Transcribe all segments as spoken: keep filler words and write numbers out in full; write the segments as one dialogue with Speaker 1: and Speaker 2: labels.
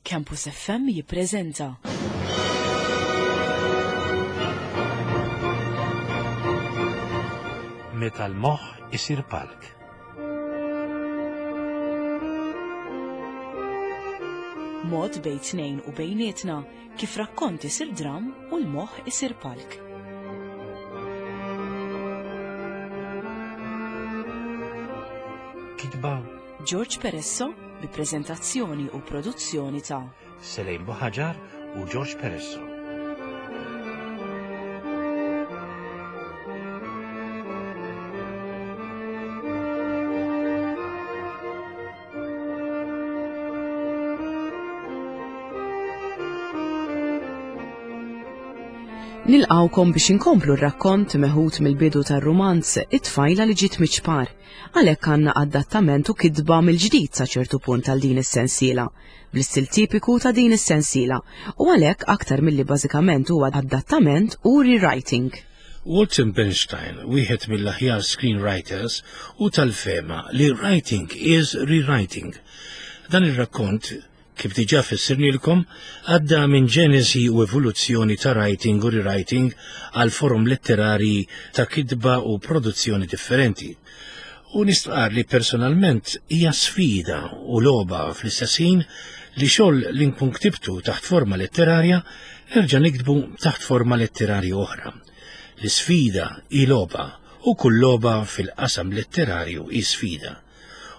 Speaker 1: Campus F M jippreżenta
Speaker 2: Meta l-moħħ isir palk.
Speaker 1: Mod bejn tnejn u bejnietna kif rakkont isir dram u l-moħħ isir palk.
Speaker 2: Kitba
Speaker 1: George Peresso bi preżentazzjoni u produzzjoni ta'
Speaker 2: Selejn Buħaġar u George Peresso.
Speaker 1: Nilqawkom biex inkomplu r-rakkont meħud mill-bidu tar-rumanz It-tfajla li ġiet miċ-ċpar. Għalhekk għandna adattament u kitba mill-ġdid sa ċertu punt għal din is-sensiela, bl-istil tipiku ta' din is-sensiela, u għalhekk aktar milli bażikament huwa adattament u rewriting.
Speaker 2: Walter Bernstein, wieħed mill-aħjar screenwriters, u tal-fehma li writing is rewriting. Dan ir-rakkont, kif diġà fissirnilkom, għadda minn ġenesi u evoluzzjoni ta' writing u rewriting għal forom letterari ta' kitba u produzzjoni differenti. U nistqar li personalment hija sfida u logħba fl-istess ħin li xogħol li nkun ktibtu taħt forma letterarja nerġa' niktbu taħt forma letterarja oħra. L-isfida hi logħba u kull logħba fil-qasam letterarju hi sfida.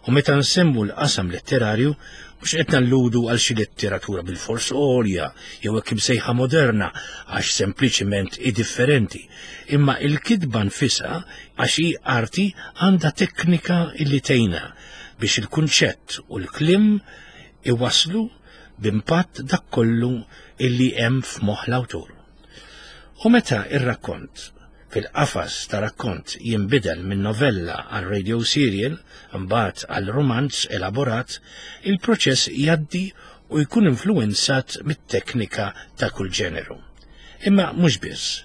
Speaker 2: U meta nsemmu l-qasam letterarju, mhux qed nalludu għal xi letteratura bil-fors għolja jew hekk imsejħa moderna għax sempliċiment hi differenti, imma il-kitba nfisha għax hi arti għandha teknika illi tgħinha biex il-kunċett u l-kliem iwaslu b'impatt dak kollu illi hemm f'moħħ l-awtur. U meta ir-rakkont fil-qafas ta' rakkont jinbidel minn novella għal radio serial, mbagħad għal romanz elaborat, il-proċess jgħaddi u jkun influenzat mit-teknika ta' kull ġeneru. Imma mhux biss.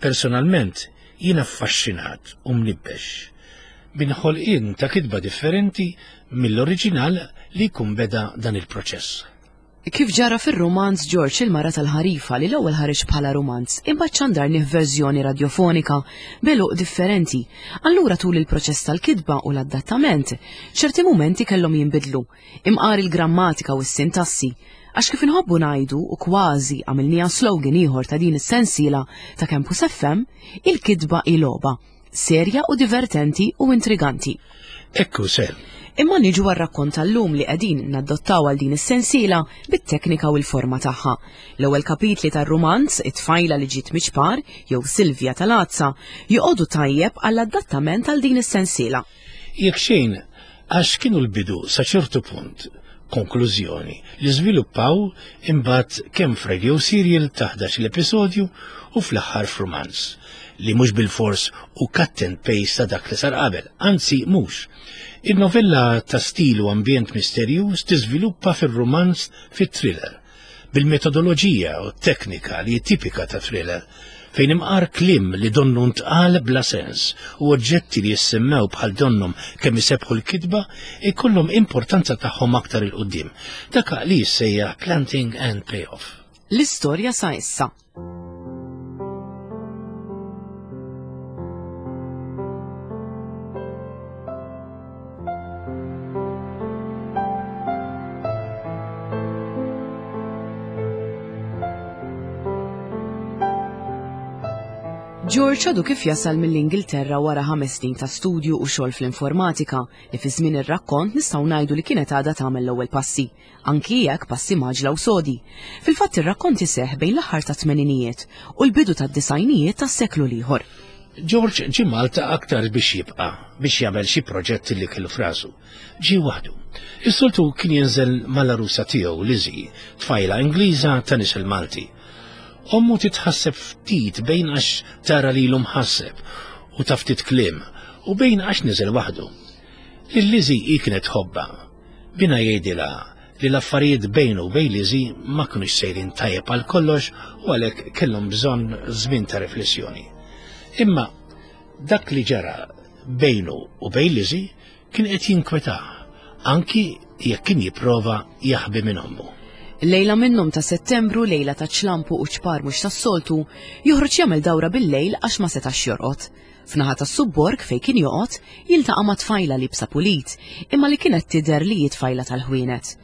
Speaker 2: Personalment jien affaxxinat u mnibbex minn ħolqien ta' kitba differenti mill-oriġinal li jkun beda dan il-proċess.
Speaker 1: Kif ġara fir-romanz George il-Mara tal-Ħarifa li l-ewwel ħareġ bħala romanz, imbagħad xandarnih verżjoni radjofonika b'għeluq differenti. Allura tul il-proċess tal-kitba u l-adattament, ċerti mumenti kellhom jinbidlu, imqar il-grammatika u s-sintassi. Għax kif inħobbu ngħidu u kważi għamilniha slogan ieħor ta' din is-sensiela ta' Campus F M, il-kitba hi logħba, serja u divertenti u intriganti.
Speaker 2: Ekku ser.
Speaker 1: Imma niġu għar-rakkont tal-lum li qegħdin naddottaw għal din is-sensiela bit-teknika u l-forma tagħha. L-ewwel kapitli tar-rumanz It-tfajla li ġiet miċ-ċpar jew Silvja tal-Għadsa joqogħdu tajjeb għall-adattament għal din is-sensiela.
Speaker 2: Jekk xejn, għax kienu l-bidu sa ċertu punt, konklużjoni li żviluppaw imbagħad kemm f'radio serial ta' ħdax l-episodju u fl-aħħar f'romanz li mhux bil-fors u cut and paste ta' dak li sar qabel, anzi mhux. Il-novella ta' stil u ambjent misterjuż tiżviluppa fir-romanz fit-thriller, bil-metodoloġija u teknika li tipika ta' thriller, fejn imqar kliem li donnu ntqal bla sens u oġġetti li jissemmew bħal donnhom kemm isebħu l-kitba ikollhom importanza tagħhom aktar 'il quddiem. Dak li jissejjaħ planting and payoff.
Speaker 1: L-istorja sa issa. George għadu kif jasal mill-Ingilterra wara ħames snin ta' studju u xogħol fl-informatika li fi żmien ir-rakkont nistgħu ngħidu li kienet għadha tagħmel l-ewwel passi, anki jekk passi mgħaġġla u sodi. Fil-fatt ir-rakkont iseħħ bejn l-aħħar ta' tmeninijiet u l-bidu tad-disgħinijiet tas-seklu l-ieħor.
Speaker 2: George ġie Malta aktar biex jibqa', biex jagħmel xi proġett li kellu f'rasu. Ġie waħdu. Is-soltu kien jinżel mal-arusa tiegħu Lizzie, tfajla Ingliża ta' nisel Malti. Ommu titħasseb ftit bejn għax tara lilu mħasseb u ta' ftit kliem u bejn għax niżel waħdu. Lil Lizzie hi kienet tħobbha. Binha jgħidilha li l-affarijiet bejnu u bejn Lizzie ma kinux sejrin tajjeb għal kollox u għalhekk kellhom bżonn żmien ta' riflessjoni. Imma dak li ġara bejnu u bejn Lizzie kien qed jinkwetah, anki jekk kien jipprova jaħbi minn ommu.
Speaker 1: Lejla minnhom ta' Settembru, lejla ta' ċlampu u ċpar mhux tas-soltu, joħroġ jagħmel dawra bil-lejl għax ma setax jorqod. F'naħa tas-subborg fejn kien joqgħod, jiltaqa' ma' tfajla liebsa pulit, imma li kienet tidher li hi tfajla tal-ħwienet.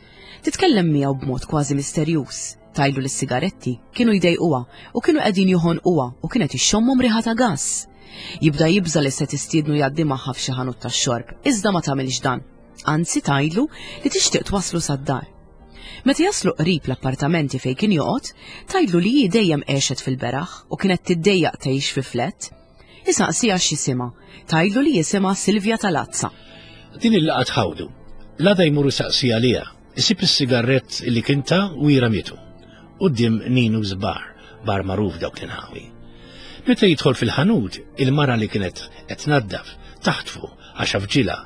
Speaker 1: Titkellem miegħu b'mod kważi misterjuż. Tgħidlu li s-sigaretti kienu jdejquha u kienu qegħdin joħonquha u kienet ixxommhom riħa ta' gass. Jibda jibża' li se tistiednu jgħaddi magħha f'xi ħanut tax-xorb, iżda ma tagħmilx dan. Anzi tgħidlu li tixtieq twasslu sad-dar. Meta jaslu qrib l-appartamenti fejn kien joqgħod, tgħidlu li hi dejjem għexet fil-beraħ u kienet tiddejjaq tgħix fi flett. Isaqsiha x'isimha, tgħidlu li jisimha Silvia Talazza.
Speaker 2: Din il-laqgħa tħawdu. L-għada jmur isaqsi għaliha, isib is-sigarett li kien ta u jiramitu. Quddiem Nino's Bar, bar magħruf dawk l-inħawi. Meta jidħol fil-ħanut, il-mara li kienet qed tnaddaf taħtfu għax afġilha,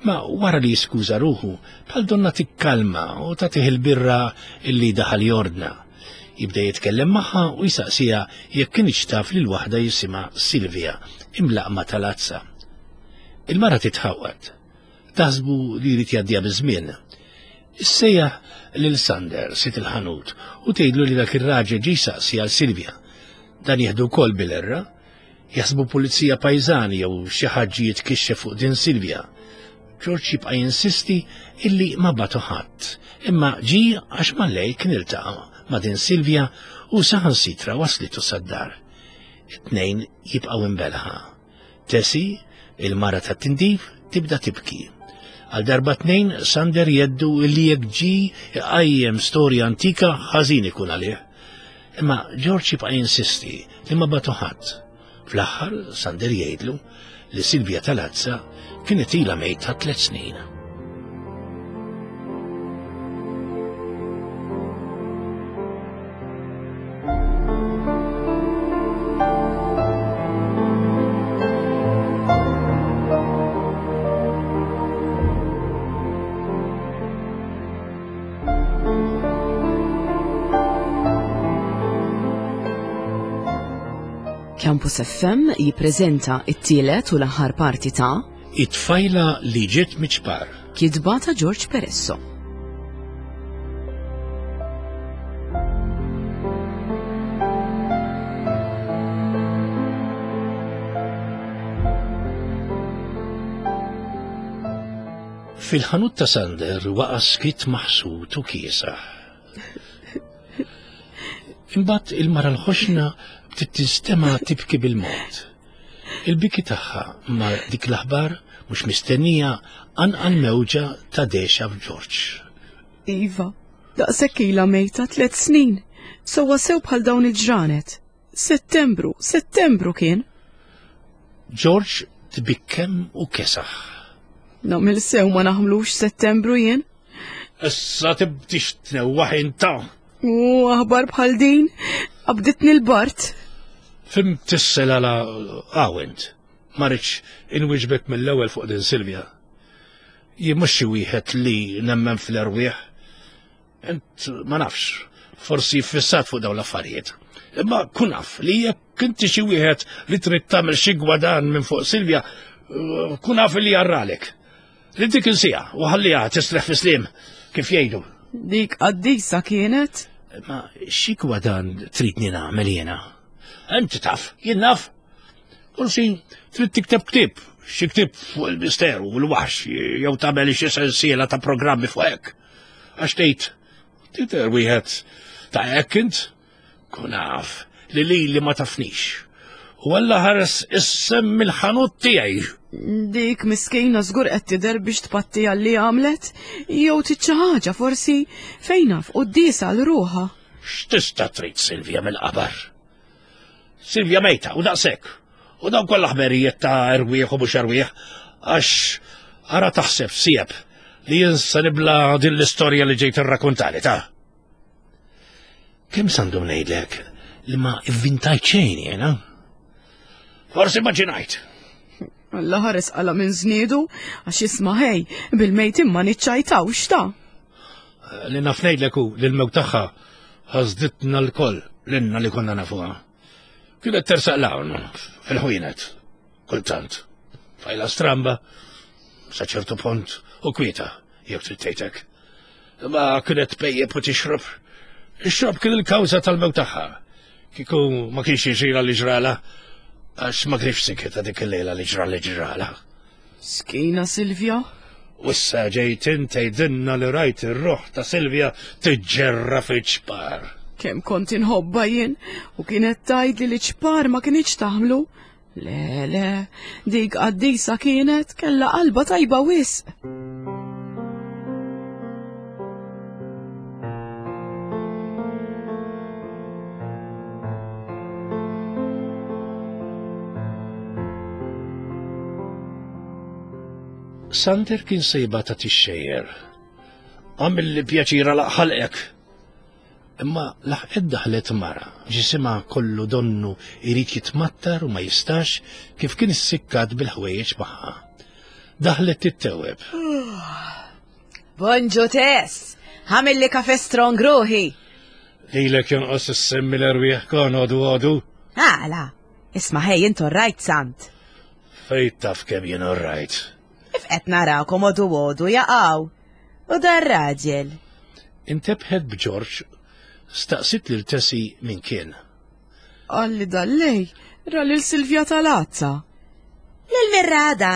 Speaker 2: imma wara li jiskuża ruħu bħal donna tikkalma u tagħtih il-birra illi daħal jordna. Jibda jitkellem magħha u jsaqsiha jekk kinitx taf lil waħda jisimha Silvia, imlaqma tal-Azza. Il-mara titħawwad. Taħsbu li jrid jgħaddiha biż-żmien. Issejjaħ lil Sander sid il-ħanut u tgħidlu li dak ir-raġel ġie jsaqsi għal Silvia. Dan jieħdu wkoll bil-erra. Jaħsbu pulizija pajżani jew xi ħadd jitkixxef fuq din Silvia. George jibqa' jinsisti illi ma batu ħadd, imma ġie għax mal-lejl kien iltaqa' ma' din Silvia u saħansitra waslitu sad-dar. It-tnejn jibqgħu imbelħa. Tessie, il-mara tat-tindif, tibda tibki. Għal darba tnejn Sander jeddu illi jekk ġie iqajjem storja antika ħażin ikun għalih. Imma George jibqa' jinsisti li ma batu ħadd. Fl-aħħar Sander jgħidlu li Silvia Talazza kienet ilha mejta tliet snin.
Speaker 1: Campus F M jippreżenta t-tielet u l-aħħar parti ta'
Speaker 2: It-tfajla li ġiet miċ-ċpar.
Speaker 1: Kitba ta' George Peresso.
Speaker 2: Fil-ħanut ta' Sander waqa' skit maħsud u kiesaħ. Imbagħad il-mara l-ħoxna bdiet tinstema' tibki bil-mod. Il-biki tagħha ma' dik l-aħbar mhux mistennija anqal mewġa ta' dexa f'George.
Speaker 1: Iva, daqshekk ilha mejta tliet snin, sewwa sew bħal dawn il-ġranet. Settembru, Settembru kien.
Speaker 2: George tbikkem u kesaħ.
Speaker 1: Nagħmel sew ma naħmlux Settembru jien.
Speaker 2: Issa tibdix tnewwaħ inta.
Speaker 1: U aħbar bħal din, qabditni l-bart.
Speaker 2: Fim tissel għala għawent. Ma rridx inwiġbek mill-ewwel fuq din Silvia. Jien mhux xi wieħed li nemmen fl-erwieħ. Int ma nafx, forsi fissat fuq dawn l-affarijiet. Imma kun naf li jekk inti xi wieħed li trid tagħmel xi gwadan minn fuq Silvia, kun naf li jarralek. Li dik insija u ħalliha tisreħ fi slim, kif jgħidu.
Speaker 1: Dik qaddisa kienet?
Speaker 2: Ma xi gwadan tridni nagħmel jiena? Inti taf, jien naf. Forsi trid tikteb ktieb, xi ktieb fuq il-misteru u l-waħx, jew tagħmel xi sensiela ta' programmi fuq hekk. Għax tgħid, tidher wieħed ta' hekk int? Kun naf li lili ma tafnix. U Alla ħares issem mill-ħanut tiegħi.
Speaker 1: Dik miskina żgur qed tidher biex tpatti għal li għamlet, jew trid xi ħaġa forsi fejn naf quddiesa għal ruħha.
Speaker 2: X'tista' trid Silvia mill-qabar? Silvia mejta u daqshekk. U dawn kollha ħberijiet ta' erwieħ u mhux erwieħ, għax ara taħseb sieb li jinsa nibla din l-istorja li ġejt irrakkuntali ta'. Kemm sandum ngħidlek li ma ivvintajt xejn jiena? Forsi immaġinajt.
Speaker 1: Alla ħares qala minn żniedu għax isma' ħej bil-mejt imma niċċajtawx ta'.
Speaker 2: Li naf ngħidlek hu li l-mewt tagħha ħasditna lkoll lilna li konna nafuha. Kienet tersaq l-hawn fil-ħwienet, kultant. Fajla stramba, sa ċertu punt u kwieta, jekk trid tgħidlek. Imma kienet tpejjep u tixrob Ix-xorb kien il-kawża tal-mewt tagħha. Kieku ma kienx jiġrilha li ġrala, għax ma kienx sikita dik il-lejla li ġra li ġrala.
Speaker 1: Skina Silvia?
Speaker 2: U issa ġejt int tgħidilna li rajt ir-ruħ ta' Silvia tiġġerra fiċ-ċpar.
Speaker 1: Kemm kont inħobbha jien u kienet tgħidli li ċpar ma kinitx taħmlu. Le, le, dik qaddisa kienet kellha qalba tajba wisq.
Speaker 2: Sander kien sejba ta' tixxejjer. Għamilli pjaċira laqħalqek. Imma laħqet daħlet mara, ġisimha kollu donnu irid jitmattar u ma jistax kif kien issikkat bil-ħwejjeġ magħha. Daħlet titteweb.
Speaker 1: Bonġu Tess, għamilli kafe strong ruħi.
Speaker 2: Lilek jonqos issemmi l-erwieħ kon għodu għodu.
Speaker 1: Għala, isma' ħej intu rajt Sant.
Speaker 2: Fejt taf kemm jien rajt.
Speaker 1: If qed narakom għodu għodu jaqaw. U dar raġel.
Speaker 2: Intebħet b'Ġorġ, staqsit lil Tessie min kien.
Speaker 1: Qalli dallej, ra lil Silvia tal-Azza. Lil Mirrada.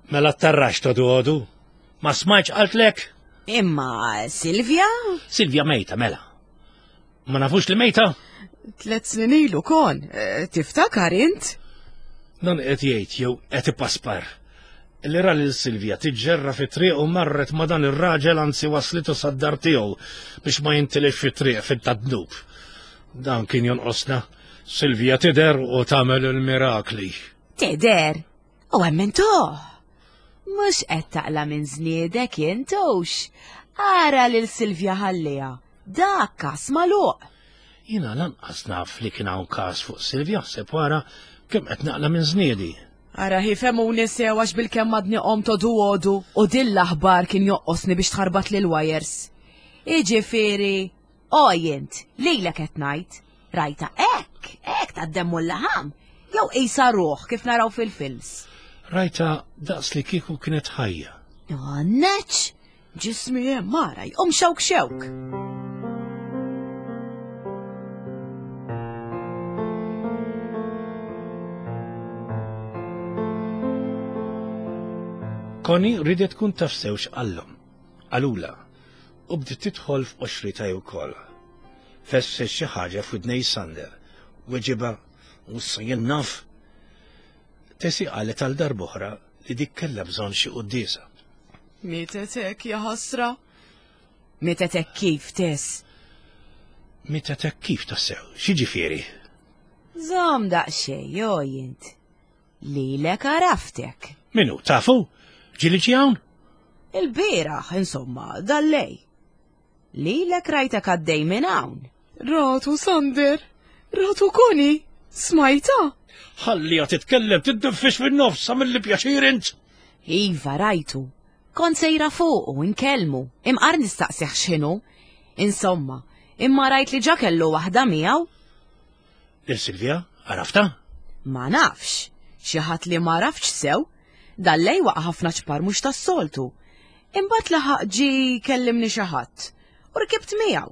Speaker 2: Mela tarrax todu għodu. Ma smajtx qaltlek?
Speaker 1: Imma Silvia?
Speaker 2: Silvia mejta mela. Ma nafux li mejta?
Speaker 1: Tlet snin ilu kon, eh, tiftakar int?
Speaker 2: Dan qed jgħid jew qed ipaspar. Li ra lil Silvia tiġġerra fit-triq u marret ma' dan ir-raġel anzi waslitu sad-dar tiegħu biex ma jintilef fit-triq fit-tadnub. Dan kien jonqosna. Silvia tidher u tagħmel il-mirakli.
Speaker 1: Tidher? U emmentuh. Mhux qed taqla' minn żniedek intux. Ara lil Silvia ħalliha. Dak każ magħluq.
Speaker 2: Jiena lanqas naf li kien hawn każ fuq Silvia ħseb wara kemm qed naqla' minn żniedi.
Speaker 1: Ara ħifemuni sew għax bil-kemm għadni qomt għodu għodu u din l-aħbar kien joqqosni biex tħarbat lil wires. Iġifieri, oj int, lilek qed ngħid, rajta hekk, hekk tad-demm u l-laħam, jew qisha ruħ kif naraw fil-films.
Speaker 2: Rajta daqs li kieku kienet ħajja.
Speaker 1: Għanneċ, ġismi hemm mara jqum xewk xewk.
Speaker 2: Connie ridet tkun taf sew x'qallhom. Qalula, u bdiet tidħol f'qoxrita wkoll. Fesset xi ħaġa f'widnej Sander, weġiba u issa jien naf. Tessie qalet għal darb'oħra li dik kellha bżonn xi quddiesa.
Speaker 1: Mietet hekk ja ħasra. Mietet hekk kif, Tess?
Speaker 2: Mietet hekk kif tassew, x'jiġifieri?
Speaker 1: Żomm daqsxejn, jo int. Lilek għaraftek.
Speaker 2: Minu, tafu? Ġieli ġie hawn?
Speaker 1: Il-bieraħ, insomma, dallej. Lilek rajtek għaddej minn hawn. Ratu Sander, ratu Connie, smajta?
Speaker 2: Ħalliha titkellem, tiddeffix fin-nofs, għamilli pjaċir int.
Speaker 1: Iva, rajtu. Kont sejra fuq u nkellmu, imqar nistaqsih x'inhu. Insomma, imma rajt li ġa kellu waħda miegħu.
Speaker 2: Lil Silvia, għarafta?
Speaker 1: Ma nafx, xi ħadd li ma rafx sew, dallej waqa' ħafna ċpar mhux tas-soltu. Imbagħad laħaq ġie kellimni xi ħadd u rkibt miegħu.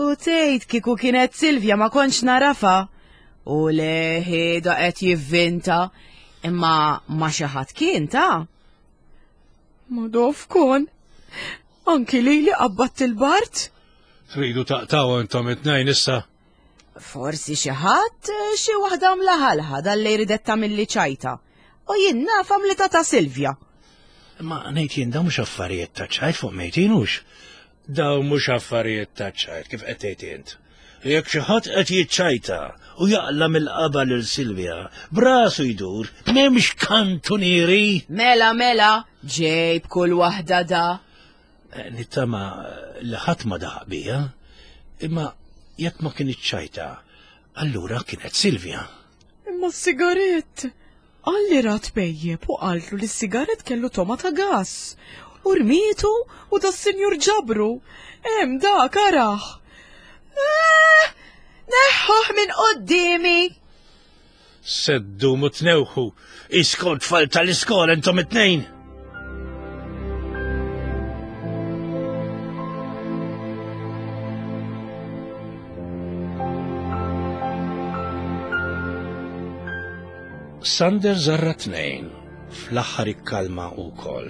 Speaker 1: U tgħid kieku kienet Silvia ma kontx narafa. U leħi da qed jivvinta, imma ma xi ħadd kien ta'. Ma dof kon. Anki lili qabbadt il-bart.
Speaker 2: Tridu taqtaw intom it-tnejn issa.
Speaker 1: Forsi xi ħadd xi waħda mlaħalħa dalli ridet tagħmilli ċajta. U jien naf għamlitha ta' Silvia.
Speaker 2: Ma ngħid jien dawn mhux affarijiet ta' ċajt fuq mejtin hux. Dawn mhux affarijiet ta' ċajt kif qed tgħid int. Jekk xi ħadd qed jiċċajta u jaqla' mill-qaba lil Silvia, brasu jdur, m'hemmx kantunieri.
Speaker 1: Mela, mela, ġejb kull waħda da.
Speaker 2: Eh, Nittama li ħadd ma daħaq bija, imma jekk ma kienet ċajta, allura kienet Silvia.
Speaker 1: Imma s-sigarett. Qalli rat pejjep u qaltlu li s-sigarett kellu toma ta' gas. U rmietu u da s-sinjur ġabru. Hemm dak araħ. Eh, neħħuh minn qoddimi.
Speaker 2: Seddu mutnewħu, iskont tfal tal-iskola intom it-tnejn. Sander żarra tnejn, fl-aħħar ikkalma wkoll.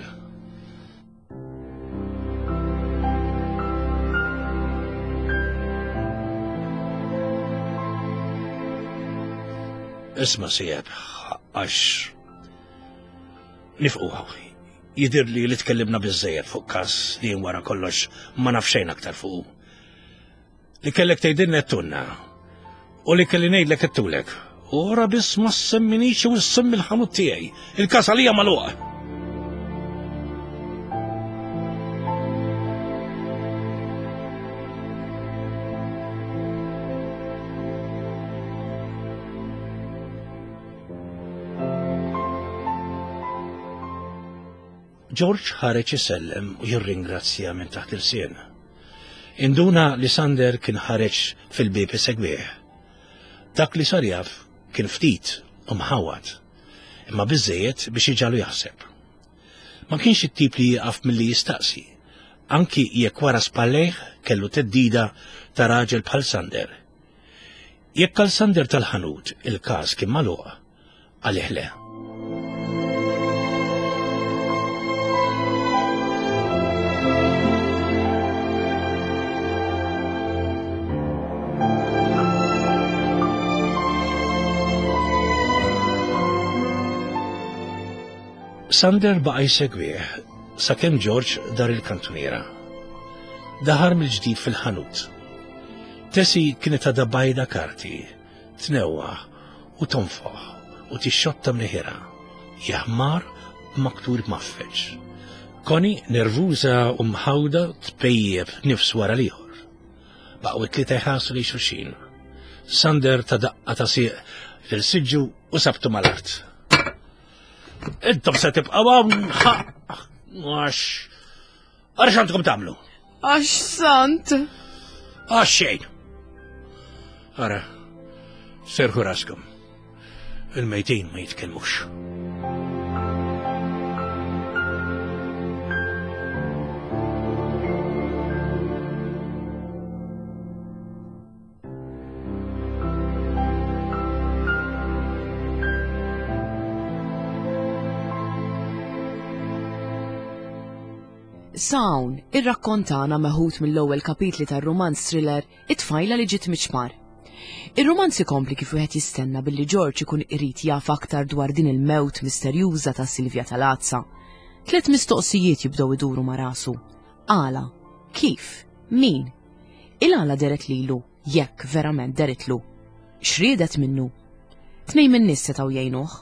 Speaker 2: Isma' sieb, għax nifqu Jidir li li tkellimna biżżejjed fuq każ li wara kollox ma naf xejn aktar fuq. Li kellek tgħidilna tunna u li kelli ngħidlek ittulek. U ora biss ma semminix u semmi l-ħanut tiegħi. Il-każ għalija magħluq. George ħareġ isellem u jirringrazzja minn taħt il-sien. Induna li Sander kien ħareġ fil-bieb isegwih. Dak li sar jaf kien ftit u mħawad, imma biżżejjed biex iġalu jaħseb. Ma kienx it-tip li jieqaf milli jistaqsi, anki jekk wara spallejh kellu teddida ta' raġel bħal Sander. Jekk għal Sander tal-ħanut il-każ kien magħluq, għalih le. Sander baqa' jsegwih sakemm George dar il-kantuniera. Daħar mill-ġdid fil-ħanut. Tessie kienet għadha bajda karti, tnewwaħ u tonfoħ u tixxotta mniħira, jaħmar b'maktur maffeġ. Connie nervuża u mħawda tpejjeb nifs wara l-ieħor. Baqgħu t-tlieta jħarsu lejn xulxin. Sander ta' daqqa ta' sieq lil siġġu u sabtu mal-art. Intom se tibqgħu hawn għax għax għandkom tagħmlu?
Speaker 1: Għax sant.
Speaker 2: Għax xejn. Ara, serħu raskom. Il-mejtin ma jitkellmux.
Speaker 1: Sawn, irrakkontana meħud mill-ewwel kapitli tar-rumanz thriller It-tfajla li ġiet miċ-ċmar. Ir-rumanz ikompli kif wieħed jistenna billi George ikun irid jaf aktar dwar din il-mewt misterjuża ta' Silvia Talazza. Tliet mistoqsijiet jibdew iduru ma' rasu. Għala, kif, min? Il-għala deret lilu, jekk verament deritlu. X'riedet minnu? Tnejn min-nies setgħu jgħinuh.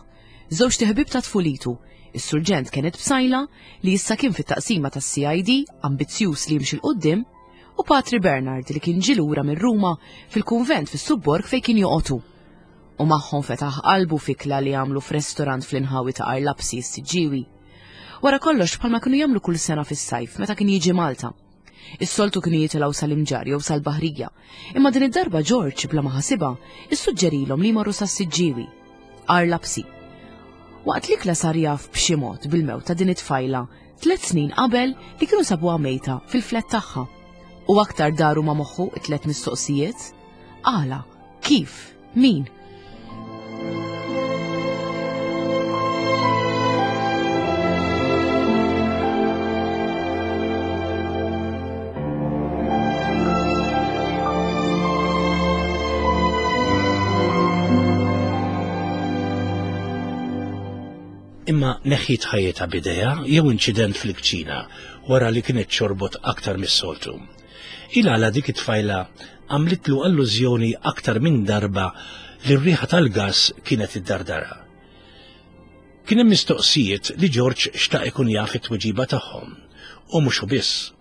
Speaker 1: Żewġ ħbieb ta' tfulitu, is-surġent Kenneth Psaila li issa kien fit-taqsima tas-C I D, ambizzjuż li jimxi l-qudiem, u Patri Bernard li kien ġie lura minn Ruma fil-kunvent fis-subborg fejn kien joqogħdu. U magħhom fetaħ qalbu fikla li għamlu f'restorant fl-inħawi ta' Arlapsi s-Siġġiewi. Wara kollox bħalma kienu jagħmlu kull sena fis-sajf meta kien jiġi Malta. Is-soltu kienu jitilgħu sal-Imġarr jew sal-Baħrija, imma din id-darba George bla ma ħasibha issuġġerilhom li jmorru sas-Siġġiewi. Arlapsi. Waqt li kla sar jaf b'xi mod bil-mewt ta' din it-tfajla tliet snin qabel li kienu sabuha mejta fil-flet tagħha. U aktar daru ma' moħħu t-tliet mistoqsijiet: għala, kif, min?
Speaker 2: Imma neħħiet ħajjitha b'idea jew inċident fil-kċina wara li kienet xorbot aktar mis-soltu. Il-għala dik it-tfajla għamlitlu allużjoni aktar minn darba li r-riħa tal-gas kienet iddardara. Kien hemm mistoqsijiet li George xtaq ikun jaf it-tweġiba tagħhom, u mhux hu biss.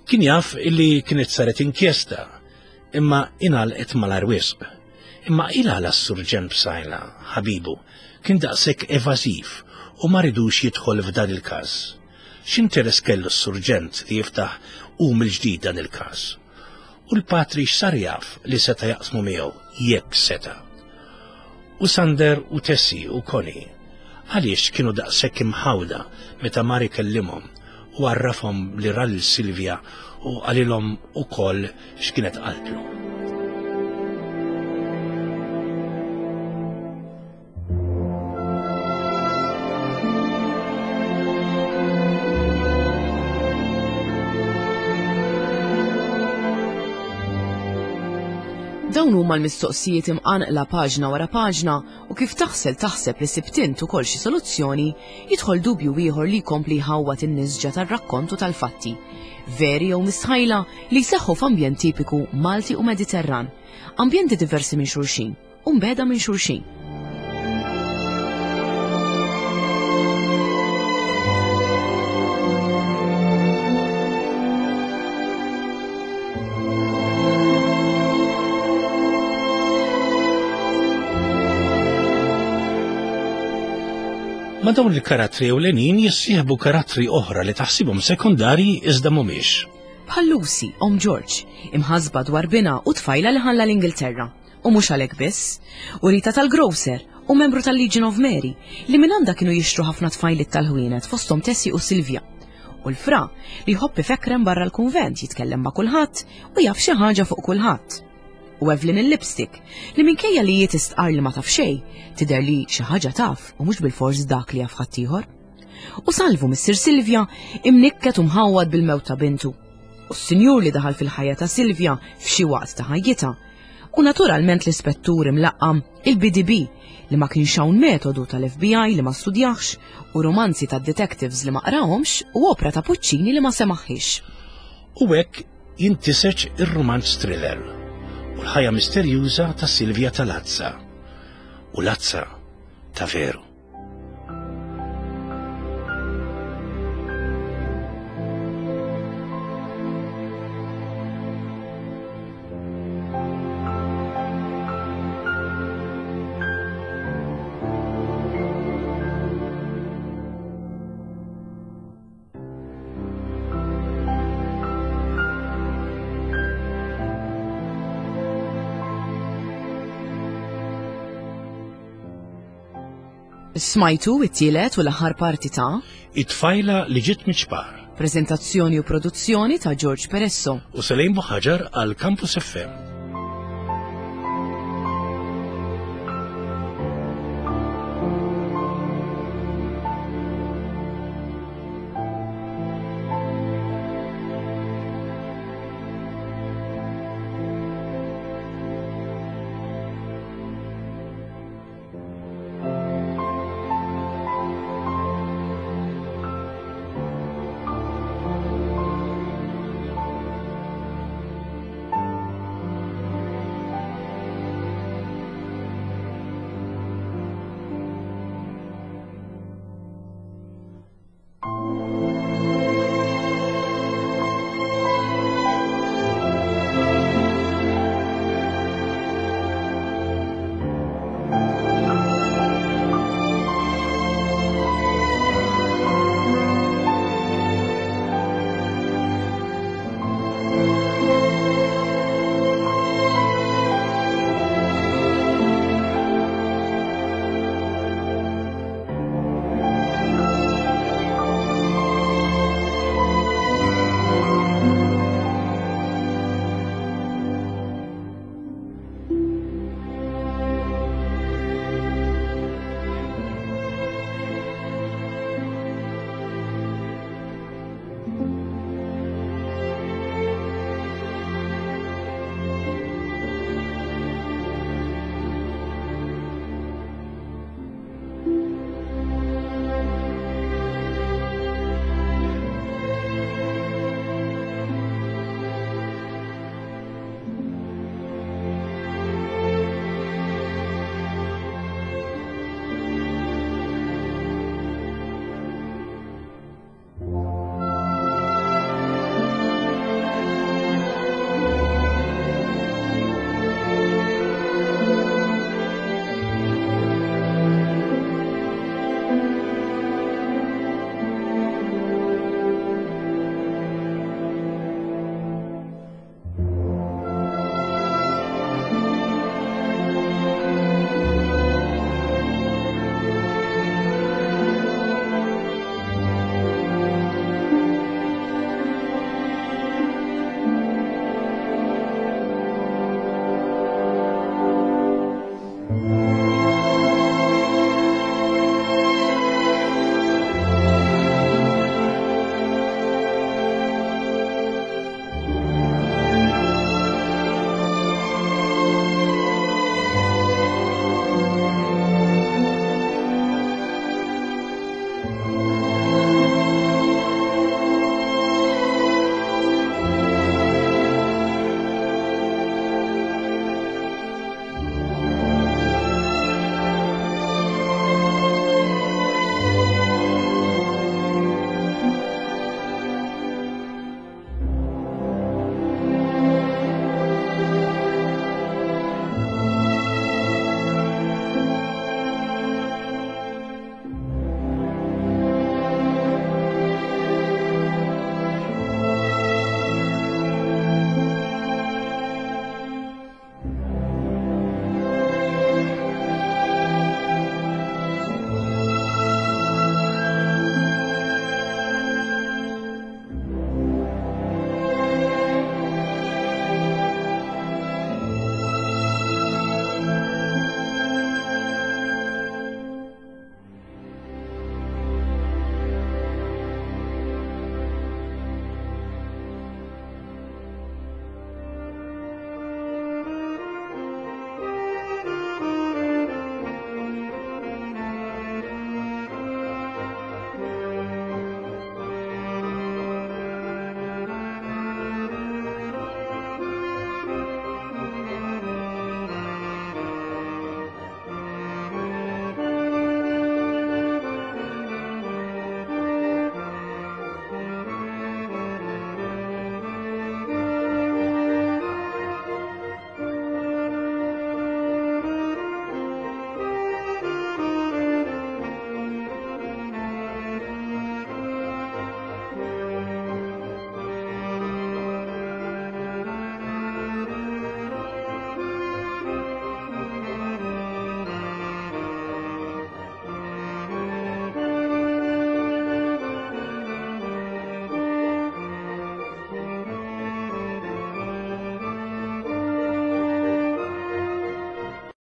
Speaker 2: Kien jaf illi kienet saret inkjesta, imma ingħalqet malajr wisq. Imma il-għala s-surġent Psaila, ħabibu, kien daqshekk evażiv u ma ridux jidħol f'dan il-każ. X'interess kellu s-surġent li jiftaħ u mill-ġdid dan il-każ? U l-patri x'sar jaf li seta' jaqsmu miegħu jekk seta'. U Sander u Tessie u Connie għaliex kienu daqshekk imħawda meta mar ikellimhom u għarrafhom li ra lil Silvia u qalilhom ukoll x'kienet qaltlu.
Speaker 1: Dawn huma l-mistoqsijiet imqanqla paġna wara paġna u kif taħsel taħseb li sibt int ukoll xi soluzzjoni, jidħol dubju ieħor li jkompli jħawwad in-nisġa tar-rakkont u tal-fatti. Veri jew mistħajla li jseħħu f'ambjent tipiku Malti u Mediterran, ambjenti diversi minn xulxin u mbeda minn xulxin.
Speaker 2: Ma' dawn il-karattri ewlenin jissieħbu karattri oħra li taħsibhom sekondarji iżda mhumiex.
Speaker 1: Bħal Lucy, omm George, imħasba dwar binha u tfajla li ħalla l-Ingilterra. U mhux għalhekk biss. U Rita tal-Grocer u membru tal-Legion of Mary li minn għandha kienu jixtru ħafna tfajliet tal-ħwienet fosthom Tessie u Silvia. U l-fra li jħobb ifekrem barra l-kunvent, jitkellem ma' kulħadd u jaf xi ħaġa fuq kulħadd. U Evelyn il-lipstick li minkejja li hi tistqar li ma taf xejn, tidher li xi ħaġa taf u mhux bilfors dak li jaf ħaddieħor. U Salvu missier Silvia imnikket u mħawwad bil-mewt ta' bintu. U s-sinjur li daħal fil-ħajja ta' Silvia f'xi waqt ta' ħajjitha. U naturalment l-ispettur imlaqqam il-B D B li ma kienx hawn metodu tal-F B I li ma studjaħx u romanzi tad-detectives li ma qrahomx u opra ta' Puccini li ma semaħħix.
Speaker 2: U hekk jintiseġ ir-romanz thriller u l-ħajja misterjuża ta' Silvia tal-Azza. U Lazza ta' veru.
Speaker 1: Smajtu it-tielet u l-aħħar parti ta'
Speaker 2: It-tfajla li ġiet miċ-ċpar.
Speaker 1: Prezentazzjoni u produzzjoni ta' George Peresso
Speaker 2: u Selejn Buħaġar għal Campus F M.